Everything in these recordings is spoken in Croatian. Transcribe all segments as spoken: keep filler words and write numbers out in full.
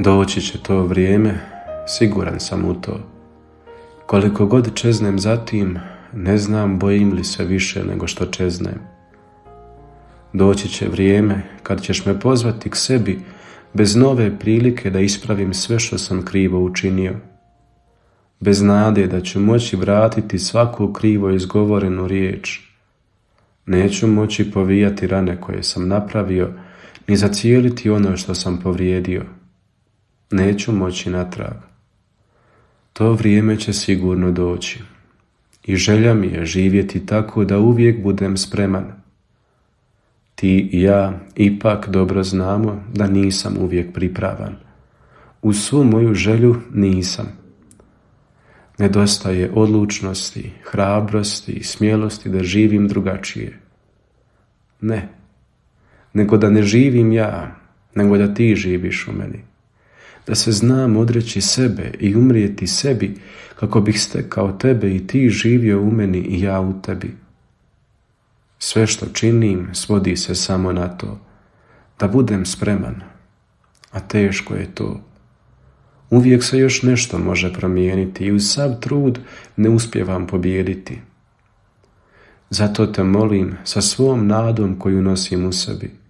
Doći će to vrijeme, siguran sam u to. Koliko god čeznem za tim, ne znam bojim li se više nego što čeznem. Doći će vrijeme kad ćeš me pozvati k sebi bez nove prilike da ispravim sve što sam krivo učinio. Bez nade da ću moći vratiti svaku krivo izgovorenu riječ. Neću moći povijati rane koje sam napravio, ni zacijeliti ono što sam povrijedio. Neću moći natrag. To vrijeme će sigurno doći. I želja mi je živjeti tako da uvijek budem spreman. Ti i ja ipak dobro znamo da nisam uvijek pripravan. Uz svu moju želju nisam. Nedostaje odlučnosti, hrabrosti i smjelosti da živim drugačije. Ne, nego da ne živim ja, nego da ti živiš u meni. Da se znam odreći sebe i umrijeti sebi kako bih stekao tebe i ti živio u meni i ja u tebi. Sve što činim svodi se samo na to, da budem spreman, a teško je to. Uvijek se još nešto može promijeniti i uz sav trud ne uspijevam pobijediti. Zato te molim sa svom nadom koju nosim u sebi.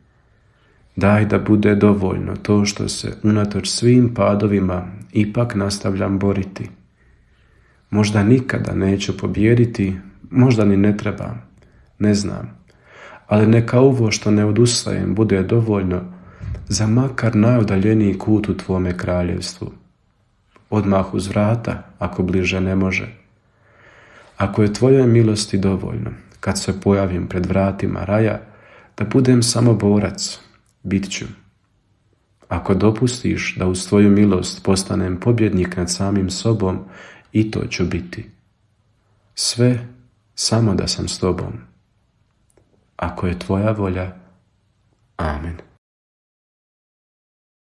Daj da bude dovoljno to što se unatoč svim padovima ipak nastavljam boriti. Možda nikada neću pobijediti, možda ni ne trebam, ne znam. Ali neka ovo što ne odustajem bude dovoljno za makar najudaljeniji kut u tvome kraljevstvu. Odmah uz vrata, ako bliže ne može. Ako je tvojoj milosti dovoljno, kad se pojavim pred vratima raja, da budem samo borac, bit ću. Ako dopustiš da uz tvoju milost postanem pobjednik nad samim sobom, i to ću biti. Sve samo da sam s tobom. Ako je tvoja volja, amen.